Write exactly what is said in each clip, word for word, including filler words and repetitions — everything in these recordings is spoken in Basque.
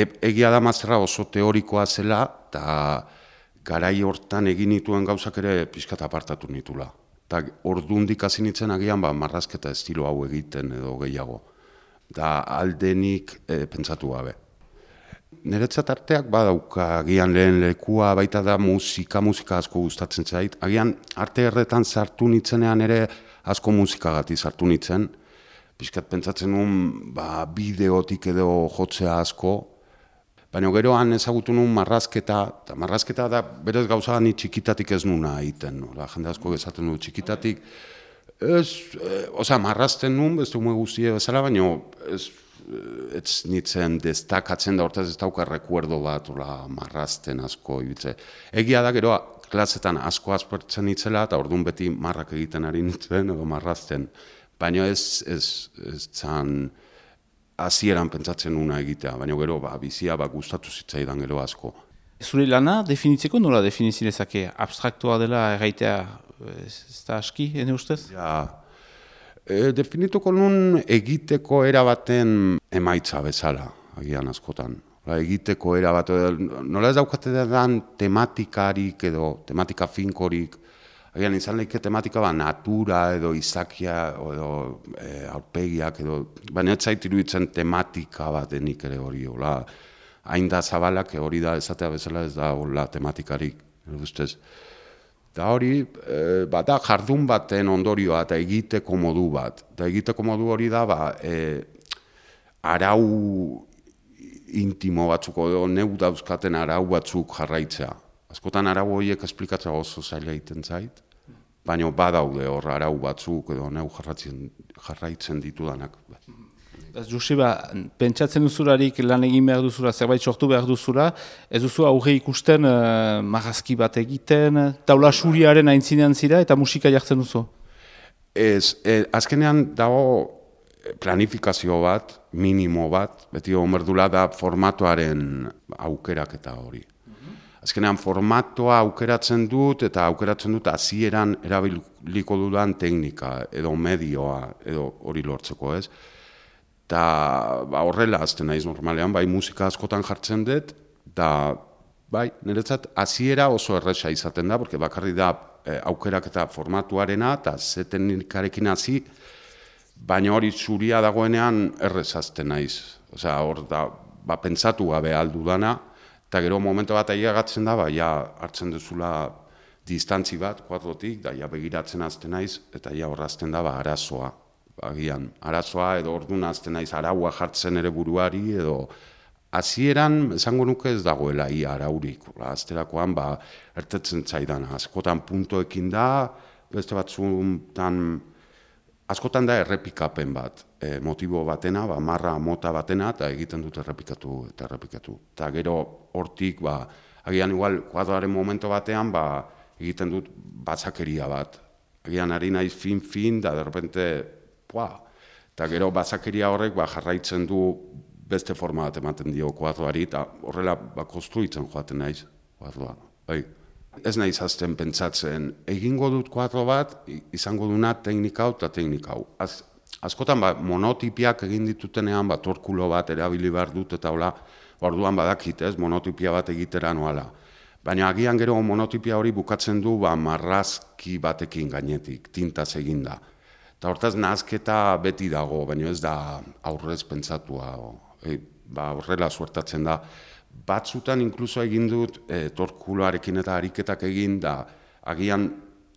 e, egia da mazterra oso teorikoa zela, eta garai hortan egin nituen gauzak ere pixkat apartatu nitula. Eta ordundik hasi nintzen agian ba, marrazketa estilo hau egiten edo gehiago. Da aldenik e, pentsatu gabe. Niretzat arteak badauka, agian lehen lekua baita da musika, musika asko gustatzen zait. Agian arte erretan sartu nitzenean ere asko musikagati sartu nitzen. Pixkat pentsatzen nuen ba, bideotik edo jotzea asko. Baina geroan ezagutu nuen marrazketa, eta marrazketa da berez gauza ni txikitatik ez nuna egiten. No? Jende asko esaten du txikitatik. Ez, e, oza, marrazten nuen, beste ume guztie bezala, baina ez, ez nitzen destakatzen da hortaz ez dauka rekuerdo bat, ola, marrazten asko ibitze. Egia da gero klasetan asko aspertzen nitzela, eta orduan beti marrak egiten ari nitzen, edo marrazten. Baina ez, ez, ez zan hasieran pentsatzen una egitea, baina gero ba, bizia ba, gustatu zitzaidan gero asko. Zure lana definitzeko nola definizilezake? Abstraktua dela erraitea ez da aski, ene ustez? Ja, e, definituko nun egiteko erabaten emaitza bezala, agian askotan. Egiteko erabat, nola ez daukate dan tematikarik edo tematika finkorik, agian izan lehike tematika ba, natura edo izakia edo e, aurpegiak edo, baina ez zait iruditzen tematika bat denik ere hori, hola, hain da zabalak hori da esatea bezala ez da hola tematikarik, ustez. Da hori, e, bada jardun baten ondorioa eta egiteko modu bat. Eta egiteko modu hori da, ba, e, arau intimo batzuk, edo neu dauzkaten arau batzuk jarraitzea. Askotan arau horiek esplikatzea oso zaila egiten zait, baina badaude hor arau batzuk edo neu jarraitzen ditudanak. Joseba, pentsatzen duzularik lan egin behar duzula, zerbait sortu behar duzula, ez duzu aurre ikusten uh, marrazki bat egiten, taula suriaren aintzinean zira eta musika jartzen duzu? Ez, e, azkenean dago planifikazio bat, minimo bat, beti omerdula da formatoaren aukeraketa hori. Azkenean formatoa aukeratzen dut eta aukeratzen dut hasieran erabiliko dudan teknika edo medioa edo hori lortzeko, ez? Eta ba, horrela azten naiz normalean, bai musika askotan jartzen dut, eta bai, niretzat hasiera oso erresa izaten da, porque bakarri da e, aukeraketa formatuarena eta ze teknikarekin hasi, baina hori zuria dagoenean errez azten naiz. Osea, hor da, ba, pentsatu gabe aldu dana, eta gero momentu bat aiagatzen da, ba, ja hartzen duzula distantzi bat, kuadrotik, da ja begiratzen azten naiz, eta ja horrazten da, ba, arazoa. Agian, arazoa edo orduan azten naiz araua jartzen ere buruari, edo hasieran esango nuke ez dagoela ia araurik. Azterakoan, ba, ertetzen zaidan, askotan puntoekin da, beste batzutan, askotan da errepikapen bat, e, motibo batena, ba, marra mota batena, eta egiten dut errepikatu eta errepikatu. Eta gero hortik, ba, agian igual, kuadroaren momento batean, ba, egiten dut batzakeria bat. Agian ari naiz fin-fin, da derrepente, pua, eta gero batzakeria horrek ba, jarraitzen du beste forma bat ematen dio kuadroari, eta horrela ba, konstruitzen joaten naiz kuadroa. Bai. Ez naiz azten pentsatzen, egingo dut kuadro bat, izango duna teknika hau eta teknika hau. Az, askotan ba, monotipiak egin ditutenean, ba, torkulo bat erabili behar dut, eta hola, orduan badakit, ez, monotipia bat egitera noala. Baina agian gero monotipia hori bukatzen du ba, marrazki batekin gainetik, tintaz eginda. Eta hortaz nahazketa beti dago, baina ez da aurrez pentsatua, e, ba, horrela suertatzen da. Batzutan inkluso egin dut e, torkuloarekin eta ariketak egin da agian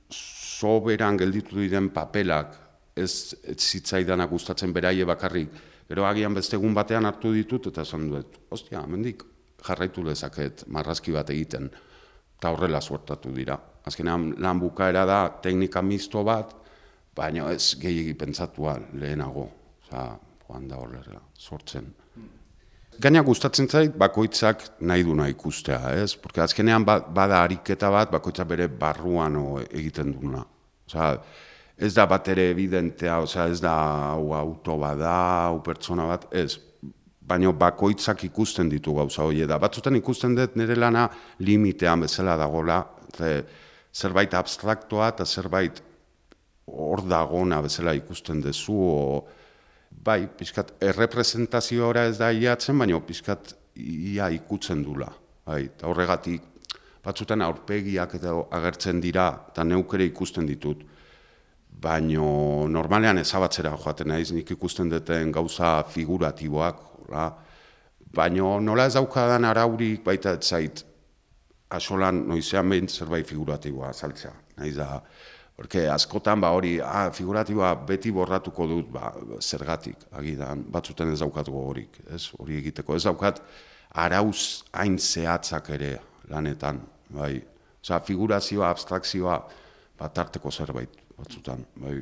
soberan gelditu diren papelak ez, ez zitzaidanak gustatzen beraie bakarrik. Gero agian beste egun batean hartu ditut eta esan dut, ostia, mendik jarraitu dezaket marrazki bat egiten. Eta horrela suertatu dira. Azkenean lan bukaera da teknika misto bat, baina ez gehiegi pentsatua lehenago. Osa, joan da horrela, sortzen. Gaina gustatzen zait, bakoitzak nahi duna ikustea, ez? Porque azkenean bada ariketa bat, bakoitzak bere barruan egiten duna. Osa, ez da bat ere evidentea, osa, ez da hau auto bada, hau pertsona bat, ez. Baina bakoitzak ikusten ditu gauza hori da. Batzutan ikusten dut nire lana limitean bezala dagoela, zerbait abstraktoa eta zerbait hor dagona bezala ikusten duzu, o, bai, pixkat, errepresentazioa ez da iatzen, baina pixkat ia ikutzen dula. Bai, eta horregatik, batzutan aurpegiak eta agertzen dira, eta neuk ere ikusten ditut. Baino normalean ezabatzera joaten naiz, nik ikusten duten gauza figuratiboak, hola. Baino nola ez daukadan araurik baita ez zait, asolan noizean behin zerbait figuratiboa azaltzea. Naiz da, porque askotan ba hori, ah, figuratiboa beti borratuko dut, ba, zergatik, agidan, batzutan ez daukat gogorik, ez, hori egiteko. Ez daukat arauz hain zehatzak ere lanetan, bai. Osea, figurazioa, abstrakzioa, bat arteko zerbait. Batzutan, bai.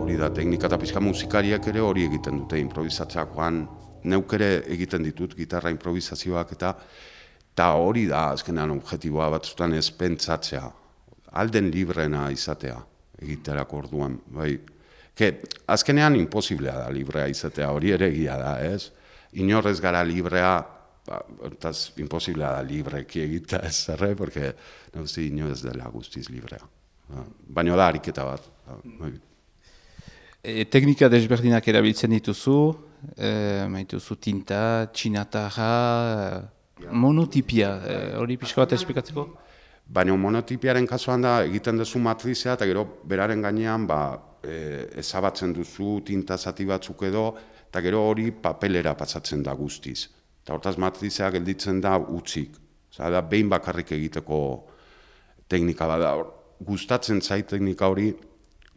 Hori da, teknika eta pixka musikariak ere hori egiten dute, improvisatzeakoan, neuk ere egiten ditut, gitarra improvisazioak eta eta hori da, azkenean objektiboa batzutan ez pentsatzea, alden librena izatea, egiterako orduan, bai. Ke, azkenean imposiblea da librea izatea, hori ere egia da, ez? Inorrez gara librea, ba, hortaz, imposiblea da libreki egita ez zerre, porque nagusi inoz dela guztiz librea. Baina da ariketa bat. E, teknika desberdinak erabiltzen dituzu, e, maituzu tinta, txinatarra, monotipia, e, hori pixka bat esplikatzeko? Baina monotipiaren kasuan da egiten duzu matrizea, eta gero beraren gainean ba, e, ezabatzen duzu tinta zati batzuk edo, eta gero hori papelera pasatzen da guztiz. Eta hortaz matrizea gelditzen da utzik. Osa, da behin bakarrik egiteko teknika bada. Gustatzen zait teknika hori,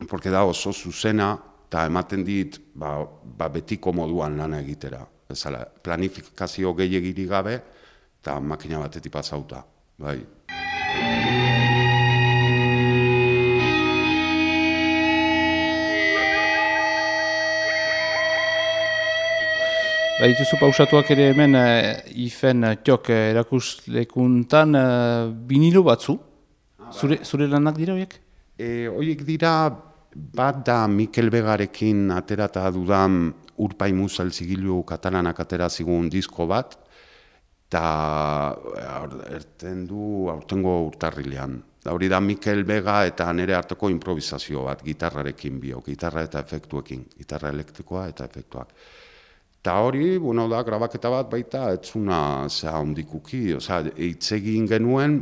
porque da oso zuzena, eta ematen dit ba, ba betiko moduan lana egitera. Bezala, planifikazio gehiagirik gabe, eta makina batetik pasauta. Bai. Ba, dituzu pausatuak ere hemen uh, ifen uh, tiok uh, erakuslekuntan uh, binilo batzu. Zure, zure lanak dira horiek? E, horiek dira, bat da Mikel Begarekin aterata dudan Urpai Musel zigilu katalanak atera zigun disko bat, eta erten du aurtengo urtarrilean. Da hori da Mikel Bega eta nire harteko improvisazio bat, gitarrarekin bio, gitarra eta efektuekin, gitarra elektrikoa eta efektuak. Eta hori, bueno, da, grabaketa bat baita, etzuna, zera, ondikuki, oza, eitzegin genuen,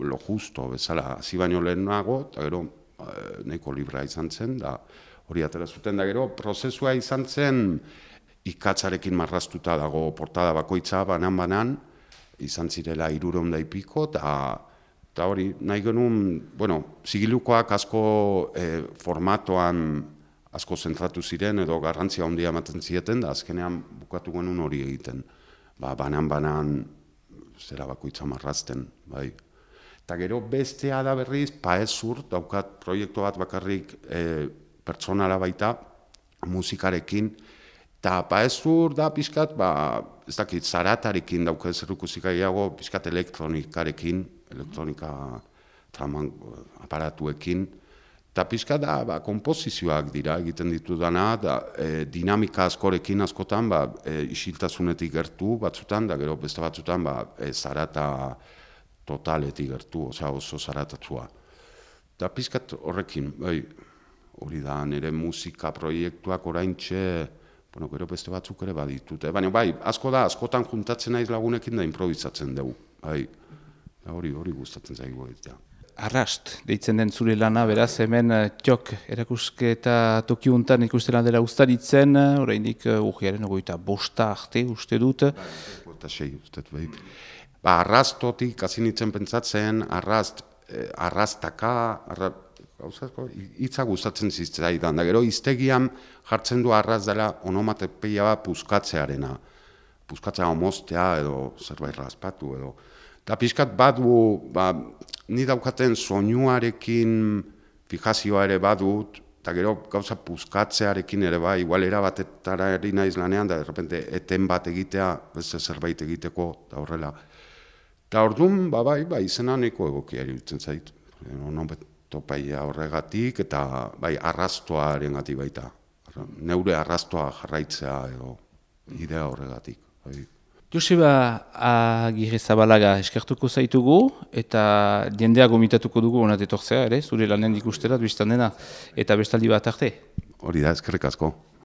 lo justo, bezala, hasi baino lehenago, eta gero, e, nahiko libra izan zen, da, hori atera zuten, da gero, prozesua izan zen, ikatzarekin marraztuta dago portada bakoitza, banan-banan, izan zirela hirurehun da ipiko, eta hori, nahi genuen, bueno, zigilukoak asko e, formatoan, asko zentratu ziren edo garrantzia handia ematen zieten, da azkenean bukatu genuen hori egiten. Ba, banan-banan zera bakoitza marrazten, bai. Eta gero bestea da berriz, Paezur, daukat proiektu bat bakarrik e, pertsonala baita, musikarekin, eta Paezur da pixkat, ba, ez dakit, zaratarekin dauka zerrukuzik gehiago, pixkat elektronikarekin, elektronika traman aparatuekin, eta pixka da, ba, kompozizioak dira egiten ditudana, da, e, dinamika askorekin askotan, ba, e, isiltasunetik gertu batzutan, da gero beste batzutan, ba, e, zarata totaletik gertu, oza, oso zaratatua. Eta pixkat horrekin, bai, hori da, nire musika proiektuak oraintxe, bueno, gero beste batzuk ere baditute. Baina bai, asko da, askotan juntatzen naiz lagunekin da improvisatzen dugu, bai, hori, hori gustatzen zaigu egitea. Arrast, deitzen den zure lana, beraz, hemen uh, tiok erakusketa tokiuntan ikusten dela ustaritzen, uh, oraindik uh, urriaren ogoita bosta arte uste dut. Bosta sei uste dut, bai. Ba, arrastotik, hasi nintzen pentsatzen, arrast, eh, arrastaka, arra, gauzazko, hitza gustatzen zitzaidan, da gero iztegian jartzen du arrast dela onomatepeia bat puskatzearena. Puskatzea omostea edo zerbait raspatu edo. Eta pixkat badu, ba, ni daukaten soinuarekin fijazioa ere badut, eta gero gauza puskatzearekin ere bai, igual erabatetara eri naiz lanean, da derrepente eten bat egitea, beste zerbait egiteko, da horrela. Eta orduan, ba bai, ba, izena nahiko egokia iruditzen zait. Topaia horregatik, eta bai, arrastoaren gati baita. Neure arrastoa jarraitzea edo idea horregatik. Bai. Joseba Agirre Zabalaga eskertuko zaitugu eta jendea gomitatuko dugu honat etortzea, ere, zure lanen ikusterat biztan dena, eta bestaldi bat arte. hori da, eskerrik asko.